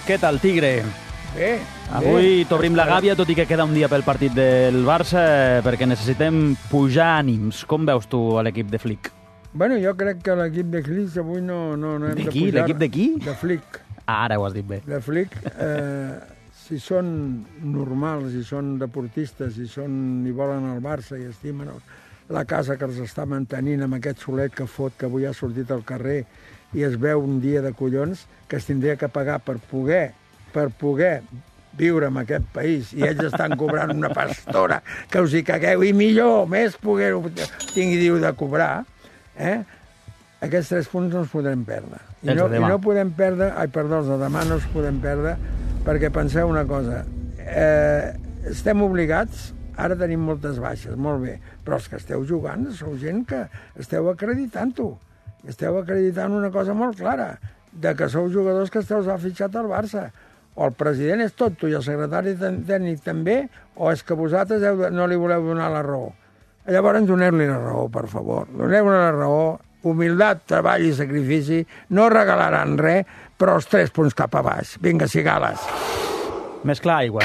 què tal, Tigre? Bé. Avui t'obrim la gàbia, tot i que queda un dia pel partit del Barça, perquè necessitem pujar ànims. Com veus tu l'equip de Flick? Bueno, jo crec que l'equip de Flick avui no hem de pujar. L'equip de qui? De Flick. Ara ho has dit bé. De Flick, si són normals, si són deportistes, si volen el Barça i estimen la casa que els està mantenint amb aquest solet que fot, que avui ha sortit al carrer i es veu un dia de collons que es tindria que pagar per poder viure en aquest país, i ells estan cobrant una pastora que us hi cagueu, i millor, més poder-ho tingui de cobrar, aquests 3 punts no els podrem perdre. I no podem perdre, els de demà no els podem perdre, perquè penseu una cosa, estem obligats, ara tenim moltes baixes, molt bé, però els que esteu jugant sou gent que esteu acreditant-ho, esteu acreditant una cosa molt clara, de que sou jugadors que esteu fitxat al Barça. O el president és tonto i el secretari tècnic també, o és que vosaltres no li voleu donar la raó. Llavors doneu-li la raó, per favor. Doneu-li la raó, humilitat, treball i sacrifici, no regalaran res, però els 3 punts cap a baix. Vinga, cigales. Més clar, aigua.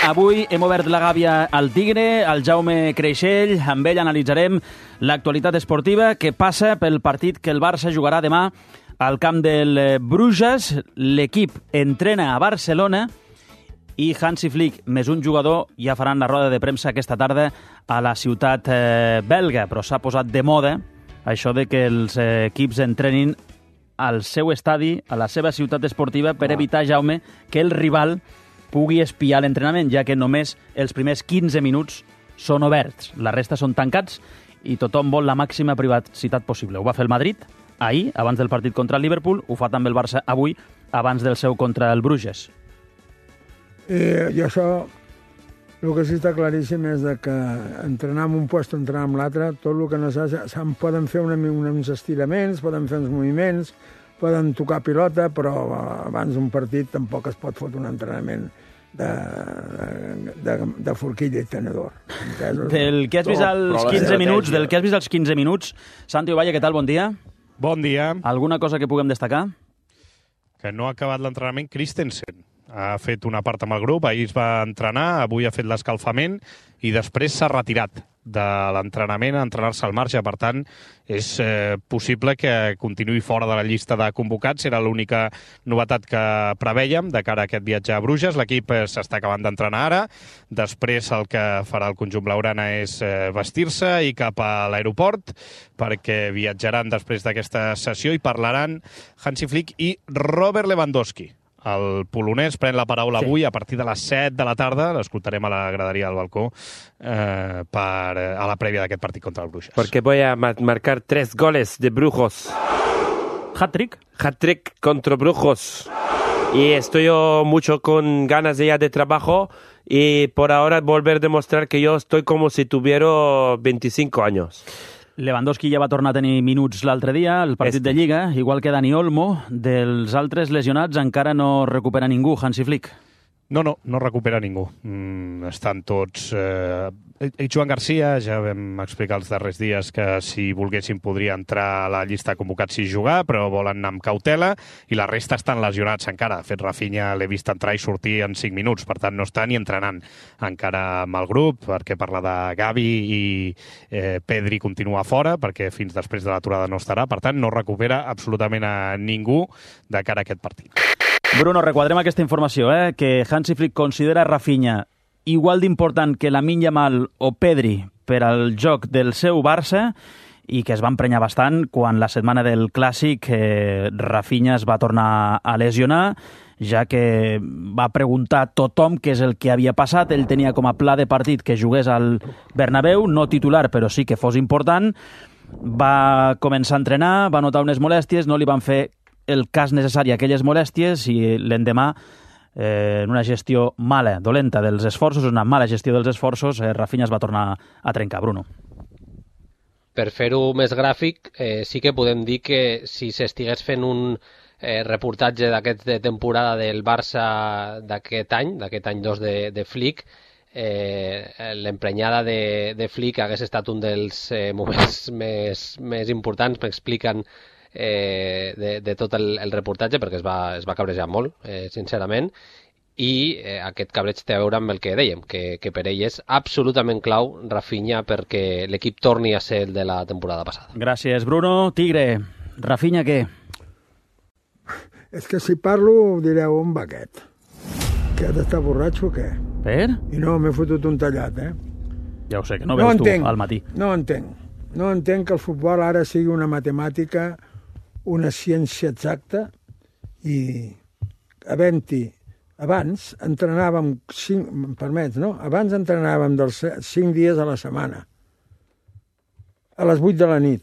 Avui hem obert la gàbia al Tigre, al Jaume Creixell. Amb ell analitzarem l'actualitat esportiva que passa pel partit que el Barça jugarà demà al camp del Bruges. L'equip entrena a Barcelona i Hansi Flick més un jugador ja faran la roda de premsa aquesta tarda a la ciutat belga, però s'ha posat de moda això de que els equips entrenin al seu estadi, a la seva ciutat esportiva, per evitar, Jaume, que el rival pugui espiar l'entrenament, ja que només els primers 15 minuts són oberts. La resta són tancats i tothom vol la màxima privacitat possible. Ho va fer el Madrid ahir, abans del partit contra el Liverpool, ho fa també el Barça avui, abans del seu contra el Bruges. I això, el que sí està claríssim és que entrenar en un lloc, entrenar en l'altre, tot el que no se'n poden fer uns estiraments, poden fer uns moviments, poden tocar pilota, però abans d'un partit tampoc es pot fotre un entrenament de forquilla i tenedor. Del que has vist als 15 minuts, Santi Ovalle, què tal? Bon dia. Bon dia. Alguna cosa que puguem destacar? Que no ha acabat l'entrenament Christensen. Ha fet una part amb el grup, ahir es va entrenar, avui ha fet l'escalfament i després s'ha retirat de l'entrenament a entrenar-se al marge. Per tant, és possible que continuï fora de la llista de convocats. Era l'única novetat que prevèiem de cara a aquest viatge a Bruges. L'equip s'està acabant d'entrenar ara. Després el que farà el conjunt blaugrana és vestir-se i cap a l'aeroport, perquè viatjaran després d'aquesta sessió i parlaran Hansi Flick i Robert Lewandowski. El polonès pren la paraula avui a partir de les 7 de la tarda. L'escoltarem a la graderia del balcó a la prèvia d'aquest partit contra el Bruges. Porque voy a marcar 3 goles de Brujos. Hat-trick? Hat-trick contra Brujos. Y estoy mucho con ganas ya de trabajo y por ahora volver a demostrar que yo estoy como si tuviera 25 años. Lewandowski ja va tornar a tenir minuts l'altre dia, el partit de Lliga, igual que Dani Olmo. Dels altres lesionats encara no recupera ningú, Hansi Flick. No recupera ningú. Estan tots... Joan Garcia, ja vam explicar els darrers dies que si volguessin podria entrar a la llista de convocats si jugar, però volen anar amb cautela, i la resta estan lesionats encara. De fet, Rafinha l'he vist entrar i sortir en 5 minuts, per tant no està ni entrenant encara amb el grup, perquè parla de Gavi i Pedri continua fora, perquè fins després de l'aturada no estarà. Per tant, no recupera absolutament a ningú de cara a aquest partit. Bruno, requadrem aquesta informació, que Hansi Flick considera Rafinha igual d'important que Lamine Yamal o Pedri per al joc del seu Barça, i que es va emprenyar bastant quan la setmana del Clàssic Rafinha es va tornar a lesionar, ja que va preguntar a tothom què és el que havia passat. Ell tenia com a pla de partit que jugués al Bernabéu, no titular, però sí que fos important. Va començar a entrenar, va notar unes molèsties, no li van fer el cas necessari a aquelles molèsties i l'endemà, en una gestió mala, dolenta dels esforços, una mala gestió dels esforços, Rafinha es va tornar a trencar. Bruno. Per fer-ho més gràfic, sí que podem dir que si s'estigués fent un reportatge d'aquest de temporada del Barça d'aquest any 2 de Flick, l'emprenyada de Flick hagués estat un dels moments més importants. M'expliquen de tot el reportatge, perquè es va cabrejar molt, sincerament, i aquest cabreig té a veure amb el que dèiem, que per ell és absolutament clau Rafinha perquè l'equip torni a ser el de la temporada passada. Gràcies, Bruno. Tigre, Rafinha què? És que si parlo direu, on va aquest? Aquest està borratxo o què? Per? I no, m'he fotut un tallat, Ja ho sé, que no veus tu al matí. No entenc que el futbol ara sigui una matemàtica, una ciència exacta, i havent-hi abans entrenàvem 5, permets, no? Abans entrenàvem 5 dies a la setmana, a les 8 de la nit.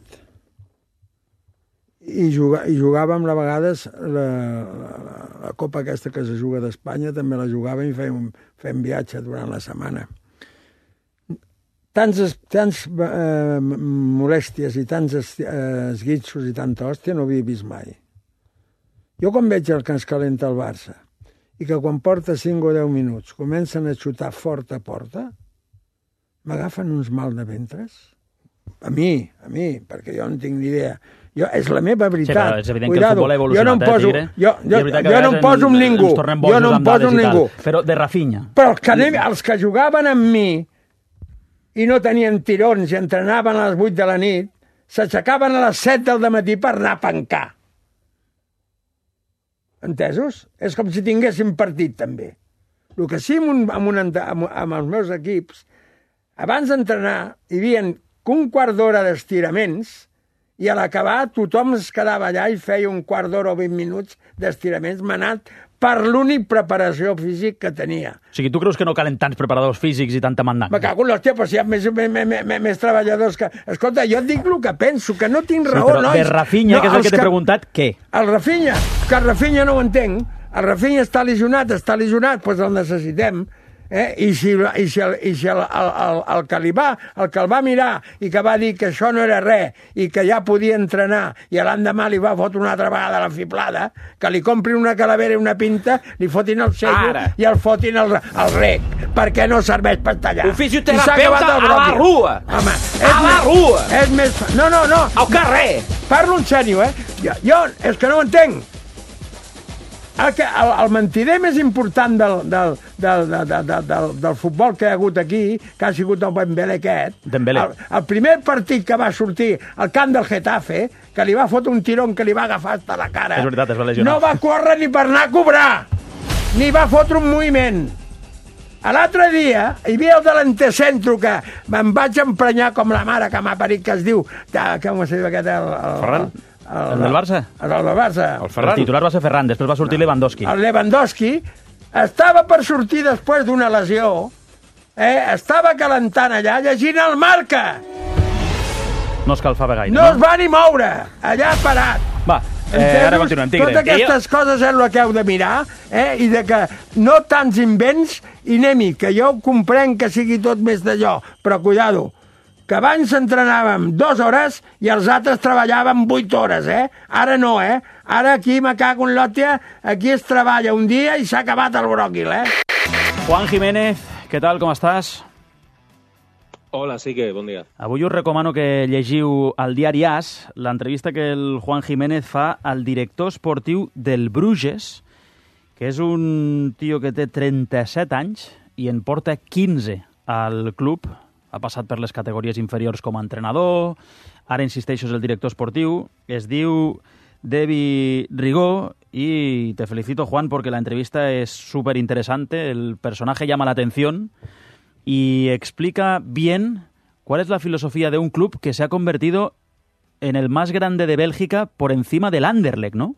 I jugàvem a vegades la Copa aquesta que se juga d'Espanya, també la jugàvem i fèiem viatge durant la setmana. Tants molèsties i tants esguitxos i tanta hòstia no havia vist mai. Jo quan veig el que ens calenta el Barça i que quan porta 5 o 10 minuts comencen a xutar fort a porta, m'agafen uns mal de ventres. A mi, perquè jo no tinc ni idea. És la meva veritat. Sí, però és evident que el futbol ha evolucionat, Tigre. Jo no em poso amb ningú. Jo no em poso amb ningú. Però de Rafinha. Però els que jugaven amb mi i no tenien tirons i entrenaven a les 8 de la nit, s'aixecaven a les 7 del dematí per anar a pencar. Entesos? És com si tinguéssim partit, també. El que sí amb els meus equips, abans d'entrenar, hi havia un quart d'hora d'estiraments i a l'acabar tothom es quedava allà i feia un quart d'hora o 20 minuts d'estiraments manat per l'únic preparació físic que tenia. O sigui, tu creus que no calen tants preparadors físics i tanta mandant? Me cago en l'hòstia, però si hi ha més treballadors que... Escolta, jo et dic el que penso, que no tinc raó, però nois. De Rafinha, que és el que t'he preguntat, què? El Rafinha, que el Rafinha no ho entenc. El Rafinha està lesionat, doncs el necessitem. I si el que el va mirar i que va dir que això no era res i que ja podia entrenar i l'endemà li va fotre una altra vegada la fiblada, que li comprin una calavera i una pinta, li fotin el sello i el fotin al rec, perquè no serveix per tallar. Un fisioterapeuta a la rua. Home, a la rua. És més... No. Al carrer. Parlo en sèrio, Jo és que no ho entenc. El mentider més important del futbol que hi ha hagut aquí, que ha sigut el Dembélé aquest, el primer partit que va sortir al camp del Getafe, que li va fotre un tirón que li va agafar hasta la cara, és veritat, es va lesionar. No va córrer ni per anar a cobrar, ni va fotre un moviment. L'altre dia hi havia el delantecentro que me'n vaig emprenyar com la mare que m'ha parit, que es diu... Com es diu aquest? Ferran? El del Barça? El del Barça. El titular va ser Ferran, després va sortir Lewandowski. El Lewandowski estava per sortir després d'una lesió, estava calentant allà llegint el Marca. No escalfava gaire, no? No es va ni moure, allà parat. Va, ara continuem, Tigre. Totes aquestes coses és el que heu de mirar, i de que no tants invents i anem-hi, que jo comprenc que sigui tot més d'allò, però cuidado, que abans entrenàvem 2 hores i els altres treballàvem 8 hores, Ara no, Ara aquí me cago en l'hòstia, aquí es treballa un dia i s'ha acabat el bròquil, Juan Jiménez, què tal, com estàs? Hola, sí que, bon dia. Avui us recomano que llegiu al diari AS l'entrevista que el Juan Jiménez fa al director esportiu del Bruges, que és un tio que té 37 anys i en porta 15 al club. Ha passat per les categories inferiors com a entrenador, ara insisteixo és el director esportiu, es diu Devi Rigó y te felicito, Juan, porque la entrevista es súper interesante, el personaje llama la atención y explica bien cuál es la filosofía de un club que se ha convertido en el más grande de Bélgica por encima del Anderlecht, ¿no?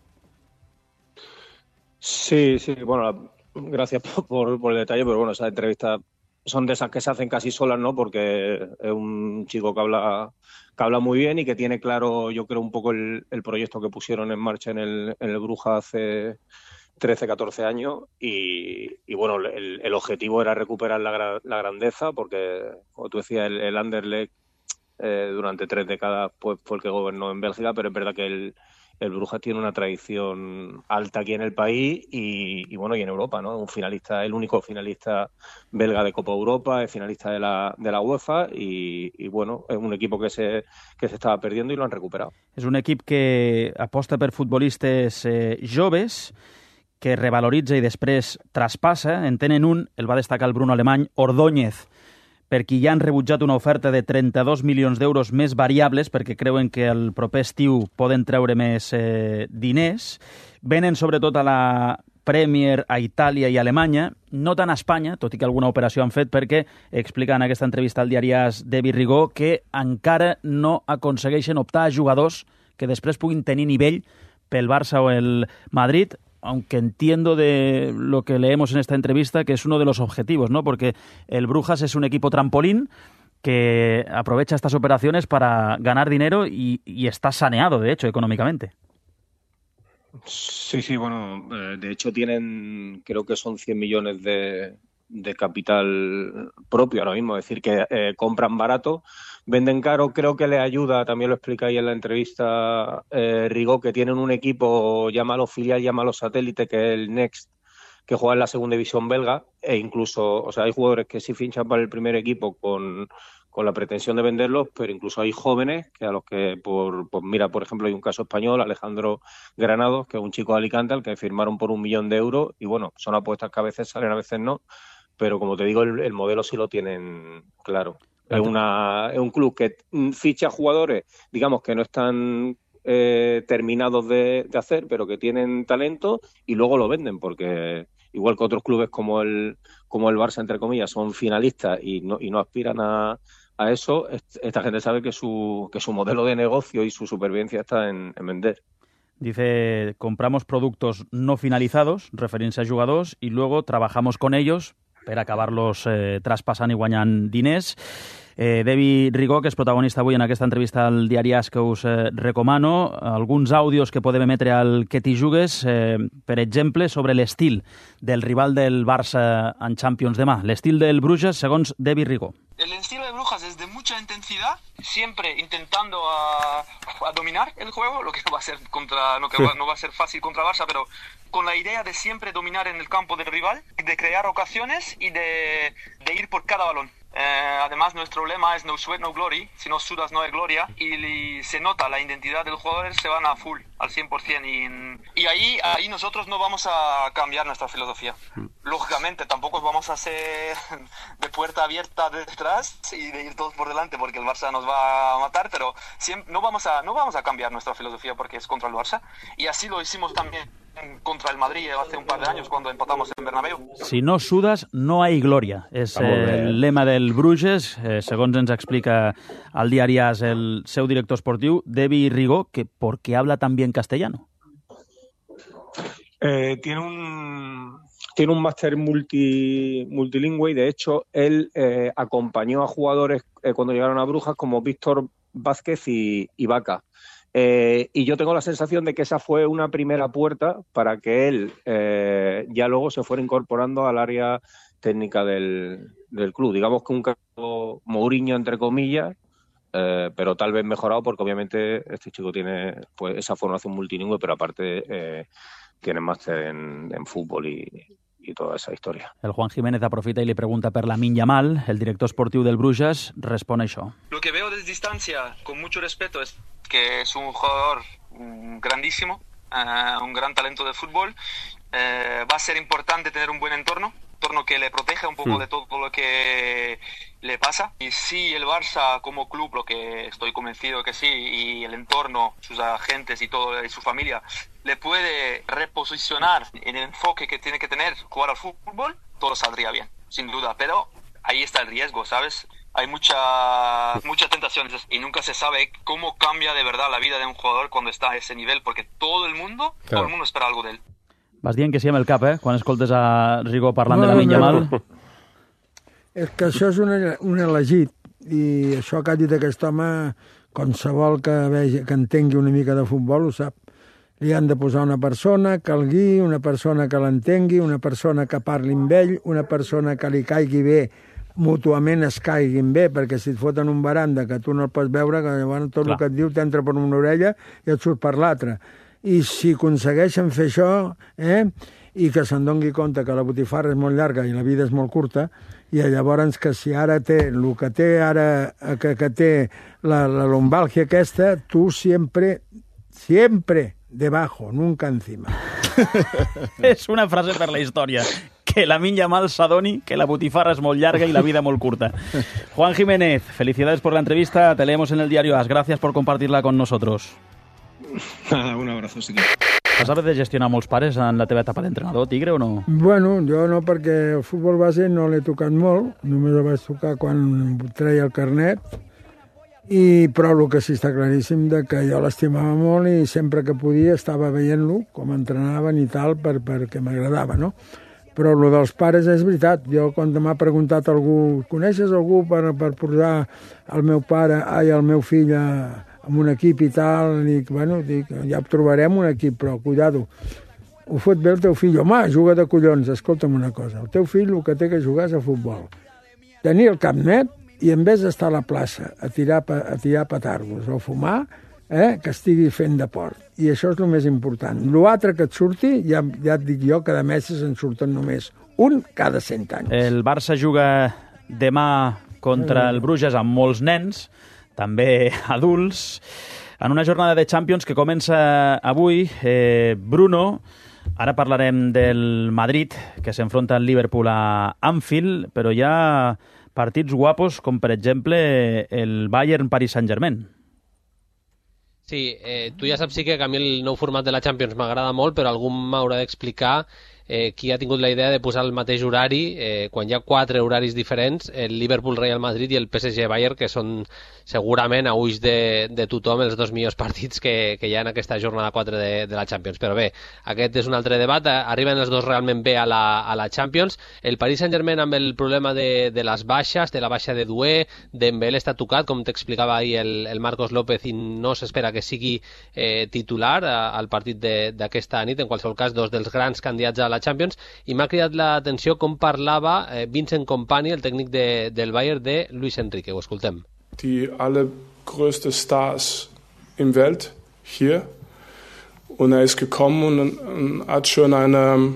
Sí, bueno, gracias por el detalle, pero bueno, esa entrevista son de esas que se hacen casi solas, ¿no? Porque es un chico que habla muy bien y que tiene claro, yo creo, un poco el proyecto que pusieron en marcha en el Bruja hace 13, 14 años y bueno, el objetivo era recuperar la grandeza porque, como tú decías, el Anderlecht durante 3 décadas pues, fue el que gobernó en Bélgica, pero es verdad que el Brujas tiene una tradición alta aquí en el país y bueno, y en Europa, ¿no? El único finalista belga de Copa Europa, es finalista de la UEFA y bueno, es un equipo que se estava perdiendo i lo han recuperat. És un equip que aposta per futbolistes joves, que revaloritza i després traspassa. En tenen un, el va destacar el Bruno Alemany, Ordóñez, per qui ja han rebutjat una oferta de 32 milions d'euros més variables perquè creuen que el proper estiu poden treure més diners. Venen sobretot a la Premier, a Itàlia i a Alemanya, no tant a Espanya, tot i que alguna operació han fet, perquè explica en aquesta entrevista al diari AS David Rigó que encara no aconsegueixen optar a jugadors que després puguin tenir nivell pel Barça o el Madrid, aunque entiendo de lo que leemos en esta entrevista que es uno de los objetivos, ¿no? Porque el Brujas es un equipo trampolín que aprovecha estas operaciones para ganar dinero y está saneado, de hecho, económicamente. Sí, bueno, de hecho tienen, creo que son 100 millones de capital propio ahora mismo, es decir, que compran barato, venden caro. Creo que les ayuda, también lo explica ahí en la entrevista Rigó, que tienen un equipo, llámalo filial, llámalo satélite, que es el Next, que juega en la segunda división belga, e incluso, o sea, hay jugadores que sí finchan para el primer equipo con la pretensión de venderlos, pero incluso hay jóvenes que a los que, mira, por ejemplo, hay un caso español, Alejandro Granados, que es un chico de Alicante, al que firmaron por 1 millón de euros, y bueno, son apuestas que a veces salen, a veces no, pero como te digo, el modelo sí lo tienen claro. Es un club que ficha jugadores, digamos, que no están terminados de hacer, pero que tienen talento y luego lo venden, porque igual que otros clubes como el Barça, entre comillas, son finalistas y no aspiran a eso, esta gente sabe que su modelo de negocio y su supervivencia está en vender. Dice, compramos productos no finalizados, referint-se a jugadors, i luego trabajamos con ellos per acabar-los traspassant i guanyant diners. David Rigó, que és protagonista avui en aquesta entrevista al diari AS, que us recomano, alguns àudios que podem emetre al Que t'hi jugues, per exemple, sobre l'estil del rival del Barça en Champions demà, l'estil del Bruges, segons David Rigó. El estilo de Brujas es de mucha intensidad, siempre intentando a dominar el juego, lo que no va a ser no va a ser fácil contra Barça, pero con la idea de siempre dominar en el campo del rival, de crear ocasiones y de ir por cada balón. Además, nuestro lema es no sweat, no glory. Si no sudas, no hay gloria. Y se nota la identidad del jugador, se van a full, al 100%. Y ahí nosotros no vamos a cambiar nuestra filosofía. Lógicamente, tampoco vamos a hacer de puerta abierta detrás y de ir todos por delante porque el Barça nos va a matar, pero no vamos a cambiar nuestra filosofía porque es contra el Barça. Y así lo hicimos también contra el Madrid hace un par de años cuando empatamos en Bernabéu. Si no sudas, no hay gloria. És el lema del Bruges, segons ens explica al diari AS el seu director esportiu, David Rigó, que ¿por qué habla tan bien castellano? Tiene un máster multilingüe y de hecho él acompañó a jugadores cuando llegaron a Brujas como Víctor Vázquez y Vaca. Y yo tengo la sensación de que esa fue una primera puerta para que él ya luego se fuera incorporando al área técnica del club. Digamos que un caso Mourinho, entre comillas, pero tal vez mejorado porque obviamente este chico tiene pues esa formación multilingüe, pero aparte tiene máster en fútbol y toda esa historia. El Juan Jiménez aprofita y le pregunta per Lamine Yamal. El director esportiu del Bruges respon això. Lo que veo desde distancia, con mucho respeto, es que es un jugador grandísimo, un gran talento de fútbol. Va a ser importante tener un buen entorno que le proteja un poco de todo lo que le pasa. Y si el Barça como club, lo que estoy convencido que sí, y el entorno, sus agentes y todo, y su familia, le puede reposicionar en el enfoque que tiene que tener jugar al fútbol, todo saldría bien, sin duda. Pero ahí está el riesgo, ¿sabes? Hay muchas tentaciones y nunca se sabe cómo cambia de verdad la vida de un jugador cuando está a ese nivel, porque todo el mundo espera algo de él. Vas dient que sí amb el cap, quan escoltes a Rigó parlant de Lamine Yamal. És que això és un elegit, i això que ha dit aquest home, qualsevol que entengui una mica de futbol ho sap. Li han de posar una persona que el guiï, una persona que l'entengui, una persona que parli amb ell, una persona que li caigui bé, mútuament es caiguin bé, perquè si et foten un baranda que tu no el pots veure, que llavors tot el que et diu t'entra per una orella i et surt per l'altra. i si aconsegueixen fer això, i que se'n doni compte que la botifarra és molt llarga i la vida és molt curta, i llavors que si ara té el que té ara, que té la lumbalgia aquesta, tu siempre debajo, nunca encima. És una frase per la història. Que la minya mal s'adoni que la botifarra és molt llarga y la vida molt curta. Juan Jiménez, felicidades por la entrevista. Te leemos en el diario AS. Gracias por compartirla con nosotros. Un abrazo, sí que... Has haver de gestionar molts pares en la teva etapa d'entrenador, Tigre, o no? Bueno, jo no, perquè el futbol base no l'he tocat molt, només el vaig tocar quan treia el carnet, però el que sí està claríssim de que jo l'estimava molt i sempre que podia estava veient-lo, com entrenaven i tal, perquè m'agradava, no? Però el dels pares és veritat. Jo, quan m'ha preguntat algú, coneixes algú per posar el meu pare, el meu fill en un equip i tal, dic, ja trobarem un equip, però cuidado, ho fot bé el teu fill. Home, juga de collons, escolta'm una cosa, el teu fill el que té que jugar és a futbol. Tenir el cap net i en vez d'estar a la plaça a tirar petardos o fumar, que estigui fent deport. I això és el més important. L'altre que et surti, ja et dic jo, cada mes se'n surten només un cada 100 anys. El Barça juga demà contra el Bruges amb molts nens, també adults, en una jornada de Champions que comença avui. Bruno, ara parlarem del Madrid, que s'enfronta al Liverpool a Anfield, però hi ha partits guapos, com per exemple el Bayern-Paris Saint-Germain. Sí, tu ja saps que a mi el nou format de la Champions m'agrada molt, però algú m'haurà d'explicar qui ha tingut la idea de posar el mateix horari, quan hi ha 4 horaris diferents, el Liverpool-Real Madrid i el PSG-Bayern, que són segurament a ulls de tothom els dos millors partits que hi ha en aquesta jornada 4 de la Champions. Però bé, aquest és un altre debat. Arriben els dos realment bé a la Champions. El Paris Saint-Germain amb el problema de les baixes, de la baixa de Doué, Dembélé està tocat, com t'explicava ahir el Marcos López, i no s'espera que sigui titular al partit d'aquesta nit. En qualsevol cas, dos dels grans candidats a la Champions, i m'ha cridat l'atenció com parlava Vincent Kompany, el tècnic del Bayern, de Luis Enrique. Ho escoltem. Die allergrößte Stars im Welt hier, und ist gekommen und hat schon eine...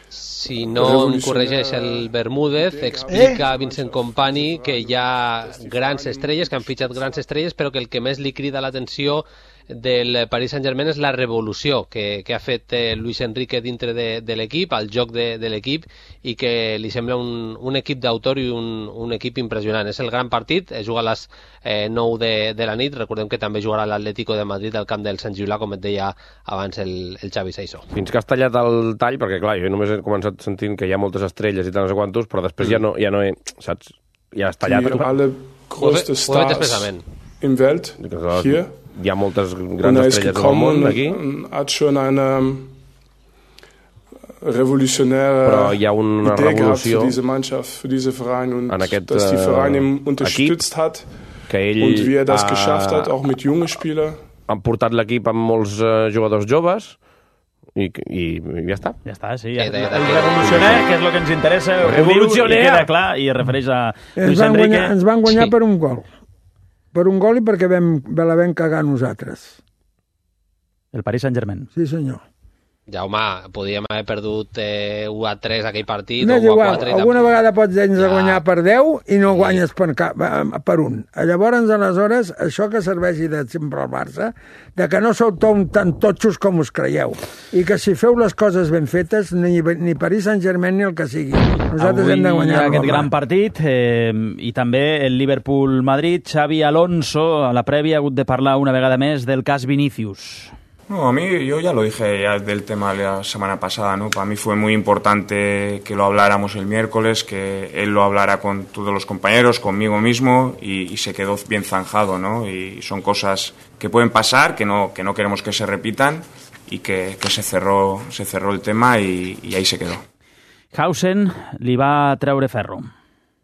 Si no em corregeix el Bermúdez, explica Vincent Kompany que hi ha grans estrelles, que han fitxat grans estrelles, però que el que més li crida l'atenció del Paris Saint-Germain és la revolució que ha fet Luis Enrique dintre de l'equip, al joc de l'equip, i que li sembla un equip d'autor i un equip impressionant. És el gran partit, juga a les 9 de la nit. Recordem que també jugarà l'Atlético de Madrid al camp del Sant Julià, com et deia abans el Xavi Saissó. Fins que has tallat el tall, perquè clar, jo només he començat sentint que hi ha moltes estrelles i tal, no sé quantos, però després ja no he, saps? Ja has tallat. Die allergrößte Stars im Welt hier. Hi ha moltes grans estrelles del món aquí. Hat schon eine revolutionäre Idee gehabt für diese Mannschaft, für diese Verein, und dass die Verein ihm unterstützt hat und wie das geschafft hat, auch mit jungen Spielern. Han portat l'equip amb molts jugadors joves i ja està. Ja està, sí. El revolucioner, que és el que ens interessa, revolucioner, queda clar, i es refereix a Luis Enrique. Ens van guanyar per un gol. Per un gol i perquè la vam cagar nosaltres. El Paris Saint-Germain. Sí, senyor. Jaume, podíem haver perdut 1-3 aquell partit, no, o 1-4... Alguna vegada pots guanyar per 10 i no guanyes per 1. Llavors, aleshores, això que serveixi de sempre al Barça, de que no sou tan totxos com us creieu, i que si feu les coses ben fetes, ni Paris Saint-Germain ni el que sigui. Nosaltres hem de guanyar aquest gran partit, i també el Liverpool-Madrid. Xavi Alonso, a la prèvia, ha hagut de parlar una vegada més del cas Vinícius. No, yo ya lo dije ya del tema la semana pasada, ¿no? Para mí fue muy importante que lo habláramos el miércoles, que él lo hablara con todos los compañeros, conmigo mismo, y se quedó bien zanjado, ¿no? Y son cosas que pueden pasar, que no queremos que se repitan, y que se cerró el tema y ahí se quedó. Hausen li va treure ferro.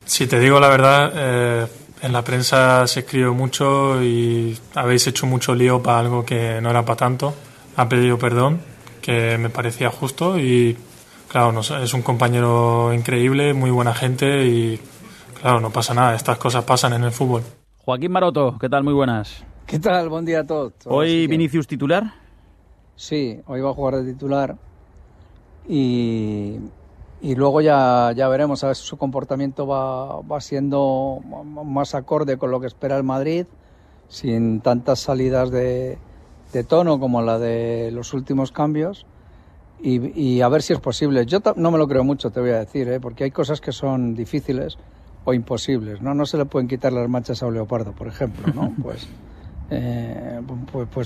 Si te digo la verdad, en la prensa se escribe mucho y habéis hecho mucho lío para algo que no era para tanto. Ha pedido perdón, que me parecía justo, y claro, es un compañero increíble, muy buena gente, y claro, no pasa nada, estas cosas pasan en el fútbol. Joaquín Maroto, ¿qué tal? Muy buenas. ¿Qué tal? Buen día a todos. ¿Hoy Vinícius titular? Sí, hoy va a jugar de titular y luego ya veremos a ver si su comportamiento va siendo más acorde con lo que espera el Madrid, sin tantas salidas de tono como la de los últimos cambios, y a ver si es posible. Yo no me lo creo mucho, te voy a decir, porque hay cosas que son difíciles o imposibles, ¿no? No se le pueden quitar las manchas a un leopardo, por ejemplo, ¿no? Pues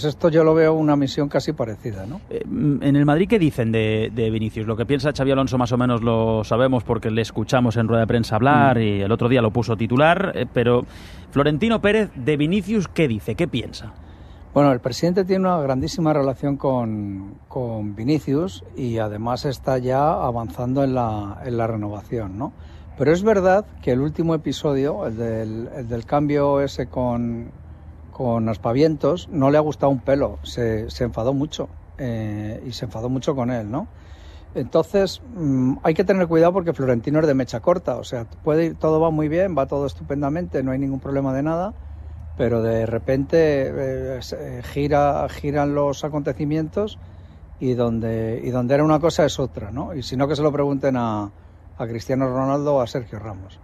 esto yo lo veo una misión casi parecida, ¿no? En el Madrid, ¿qué dicen de Vinicius? Lo que piensa Xabi Alonso más o menos lo sabemos porque le escuchamos en rueda de prensa hablar y el otro día lo puso titular, pero Florentino Pérez, de Vinicius, ¿qué dice? ¿Qué piensa? Bueno, el presidente tiene una grandísima relación con Vinicius y además está ya avanzando en la renovación, ¿no? Pero es verdad que el último episodio, el del cambio ese con aspavientos, no le ha gustado un pelo, se enfadó mucho y se enfadó mucho con él, ¿no? Entonces hay que tener cuidado porque Florentino es de mecha corta, o sea, todo va muy bien, va todo estupendamente, no hay ningún problema de nada, pero de repente giran los acontecimientos y donde era una cosa es otra, ¿no? Y si no, que se lo pregunten a Cristiano Ronaldo o a Sergio Ramos.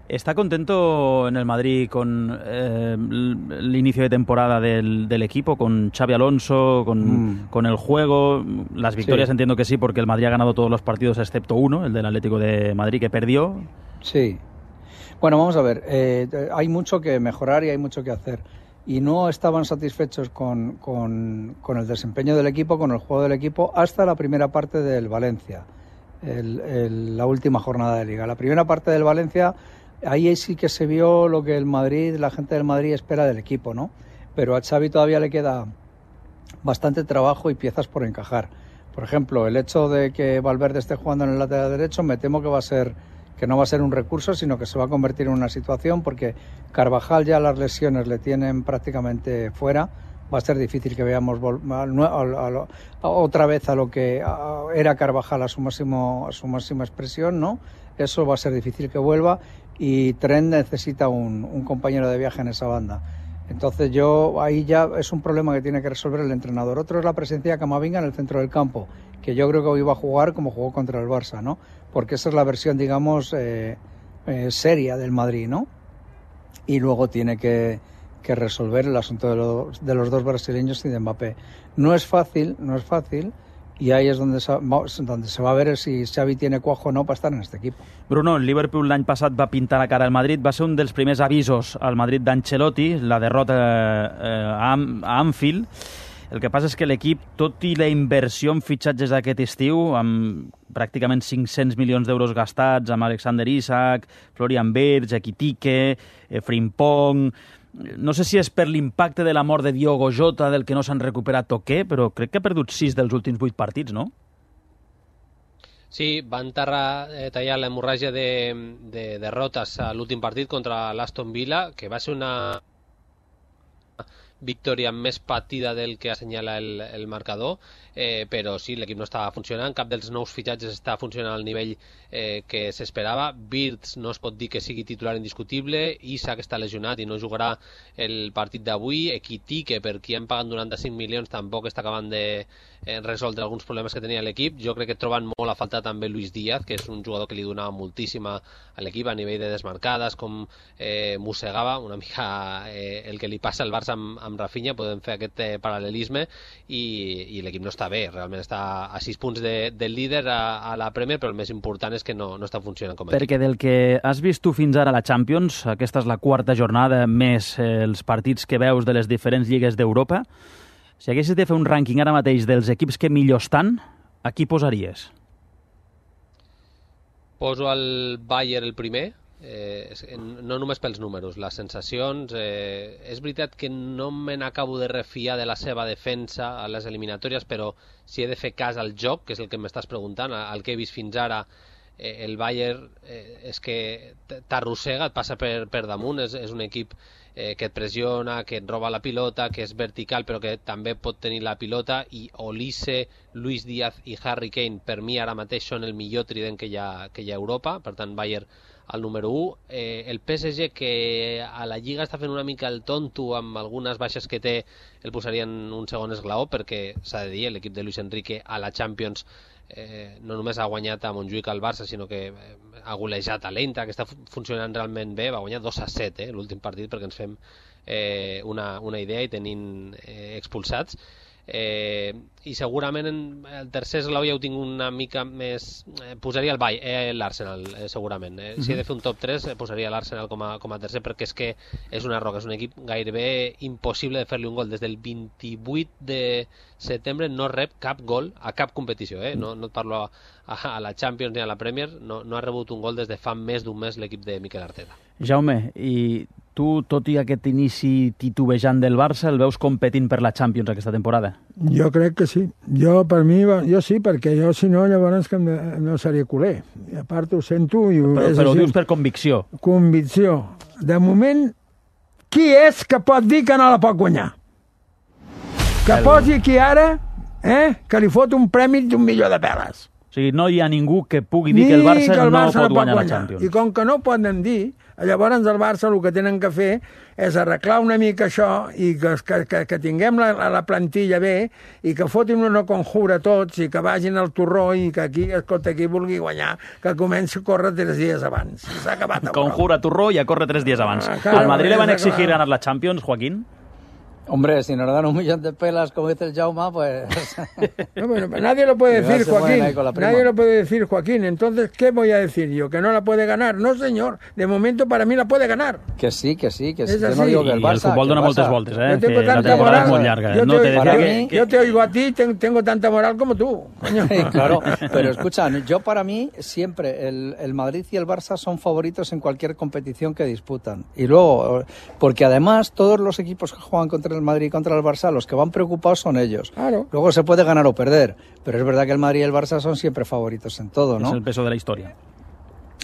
¿Está contento en el Madrid con el inicio de temporada del equipo, con Xabi Alonso, con el juego? Las victorias entiendo que sí, porque el Madrid ha ganado todos los partidos excepto uno, el del Atlético de Madrid, que perdió. Sí. Bueno, vamos a ver, hay mucho que mejorar y hay mucho que hacer. Y no estaban satisfechos con el desempeño del equipo, con el juego del equipo, hasta la primera parte del Valencia, la última jornada de Liga. La primera parte del Valencia, ahí sí que se vio lo que la gente del Madrid espera del equipo, ¿no? Pero a Xavi todavía le queda bastante trabajo y piezas por encajar. Por ejemplo, el hecho de que Valverde esté jugando en el lateral derecho, me temo que no va a ser un recurso, sino que se va a convertir en una situación, porque Carvajal ya las lesiones le tienen prácticamente fuera. Va a ser difícil que veamos otra vez a lo que era Carvajal a su máxima expresión, ¿no? Eso va a ser difícil que vuelva, y Trent necesita un compañero de viaje en esa banda. Entonces ahí ya es un problema que tiene que resolver el entrenador. Otro es la presencia de Camavinga en el centro del campo, que yo creo que hoy va a jugar como jugó contra el Barça, ¿no? Porque esa es la versión, digamos, seria del Madrid, ¿no? Y luego tiene que resolver el asunto de los dos brasileños y de Mbappé. No es fácil, y ahí es donde se va a ver si Xavi tiene cuajo o no para estar en este equipo. Bruno, el Liverpool l'any passat va pintar la cara al Madrid, va ser un dels primers avisos al Madrid d'Ancelotti, la derrota a Anfield. El que passa és que l'equip, tot i la inversió en fitxatges d'aquest estiu, amb pràcticament 500 milions d'euros gastats, amb Alexander Isak, Florian Wirtz, Ekitike, Frimpong... No sé si és per l'impacte de la mort de Diogo Jota, del que no s'han recuperat o què, però crec que ha perdut 6 dels últims 8 partits, no? Sí, van tallar l'hemorràgia de derrotes a l'últim partit contra l'Aston Villa, que va ser una victòria més patida del que assenyala el marcador, però sí, l'equip no estava funcionant, cap dels nous fitxatges està funcionant al nivell que s'esperava. Wirtz no es pot dir que sigui titular indiscutible, Isak està lesionat i no jugarà el partit d'avui, Ekitike, per qui han pagat 95 milions, tampoc està acabant de resoldre alguns problemes que tenia l'equip. Jo crec que troben molt a faltar també Luis Díaz, que és un jugador que li donava moltíssim a l'equip a nivell de desmarcades, com mossegava una mica el que li passa al Barça amb Rafinha, podem fer aquest paral·lelisme, i l'equip no està bé, realment està a 6 punts del líder a la Premier, però el més important és que no està funcionant com a equip. Perquè del que has vist tu fins ara a la Champions, aquesta és la 4ª jornada, més els partits que veus de les diferents lligues d'Europa, si haguessis de fer un rànquing ara mateix dels equips que millor estan, a qui posaries? Poso el Bayern el primer, no només pels números, les sensacions. És veritat que no me n'acabo de refiar de la seva defensa a les eliminatòries, però si he de fer cas al joc, que és el que m'estàs preguntant, el que he vist fins ara, el Bayern és que t'arrossega, et passa per damunt, és un equip que et pressiona, que et roba la pilota, que és vertical però que també pot tenir la pilota, i Olise, Luis Díaz i Harry Kane per mi ara mateix són el millor trident que hi ha a Europa, per tant Bayern al número 1. El PSG, que a la Lliga està fent una mica el tonto amb algunes baixes que té, el posaria en un segon esglaó, perquè s'ha de dir, l'equip de Luis Enrique a la Champions no només ha guanyat a Montjuïc al Barça, sinó que ha golejat a l'Eintracht, que està funcionant realment bé, va guanyar 2-7 l'últim partit, perquè ens fem una idea, i tenint expulsats. I segurament el tercer esglaó ja ho tinc una mica més, posaria l'Arsenal segurament, si he de fer un top 3 posaria l'Arsenal com a tercer, perquè és que és una roca, és un equip gairebé impossible de fer-li un gol. Des del 28 de setembre no rep cap gol a cap competició, no et parlo a la Champions ni a la Premier, no ha rebut un gol des de fa més d'un mes l'equip de Mikel Arteta. Jaume, i tu, tot i aquest inici titubejant del Barça, el veus competint per la Champions aquesta temporada? Jo crec que sí. Jo sí, perquè jo, si no, llavors que no seria culer. I a part ho sento... Però ho dius per convicció. Convicció. De moment, qui és que pot dir que no la pot guanyar? Que posi aquí ara, que li fot un premi d'1 milió de peles. O sigui, no hi ha ningú que pugui dir que el Barça no pot guanyar la Champions. I com que no poden dir, llavors el Barça el que tenen que fer és arreglar una mica això i que tinguem la plantilla bé i que fotin una conjura tots i que vagin al torró i que aquí, escolta, qui vulgui guanyar, que comenci a córrer 3 dies abans. S'ha acabat. Conjura, torró i a córrer 3 dies abans. Al Madrid le van exigir ganar la Champions, Joaquín. Hombre, si nos dan 1 millón de pelas, como dice el Jaume, pues... No, bueno, nadie lo puede decir, Joaquín. Nadie lo puede decir, Joaquín. Entonces, ¿qué voy a decir yo? ¿Que no la puede ganar? No, señor. De momento, para mí la puede ganar. Que sí. Es yo así. no digo que el Barça... Y el fútbol dona moltes voltes, Yo tengo tanta moral. Yo te oigo a ti, tengo tanta moral como tú. Coño. Claro, pero escucha, yo para mí siempre el Madrid y el Barça son favoritos en cualquier competición que disputan. Y luego, porque además todos los equipos que juegan contra el Madrid y contra el Barça, los que van preocupados son ellos. Claro. Luego se puede ganar o perder, pero es verdad que el Madrid y el Barça son siempre favoritos en todo, ¿no? Es el peso de la historia.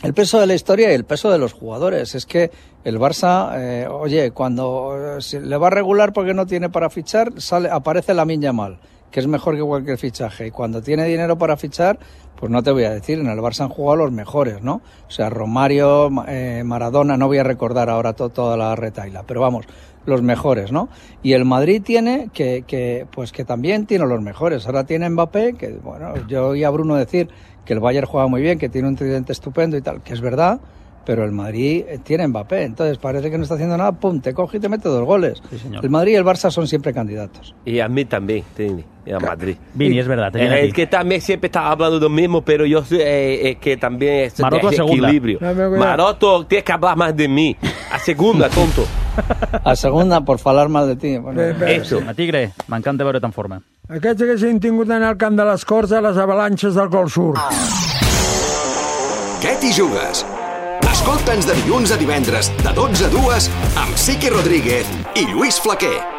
El peso de la historia y el peso de los jugadores. Es que el Barça, cuando se le va a regular porque no tiene para fichar, aparece Lamine Yamal, que es mejor que cualquier fichaje. Y cuando tiene dinero para fichar, pues no te voy a decir, en el Barça han jugado los mejores, ¿no? O sea, Romario, Maradona, no voy a recordar ahora toda la retaila, pero vamos, los mejores, ¿no? Y el Madrid tiene que también tiene los mejores. Ahora tiene Mbappé, que bueno, yo oí a Bruno decir que el Bayern juega muy bien, que tiene un tridente estupendo y tal, que es verdad, pero el Madrid tiene Mbappé, entonces parece que no está haciendo nada, pum, te coge y te mete 2 goles. Sí, señor. El Madrid y el Barça son siempre candidatos. Y a mí también, Trini, a Madrid. Vini, es verdad. Es que también siempre estaba hablando de lo mismo, pero yo es que también es Maroto de equilibrio. Maroto, tienes que hablar más de mí. A segunda, tonto. A segunda, por falar mal de ti. Bueno, eso. A Tigre, m'encanta veure't en forma. Aquests haguessin tingut d'anar al camp de les Corts a les avalanxes del Gol Sur. Què t'hi jugues? Escolta'ns de dilluns a divendres, de 12 a 2, amb Sique Rodríguez i Lluís Flaquer.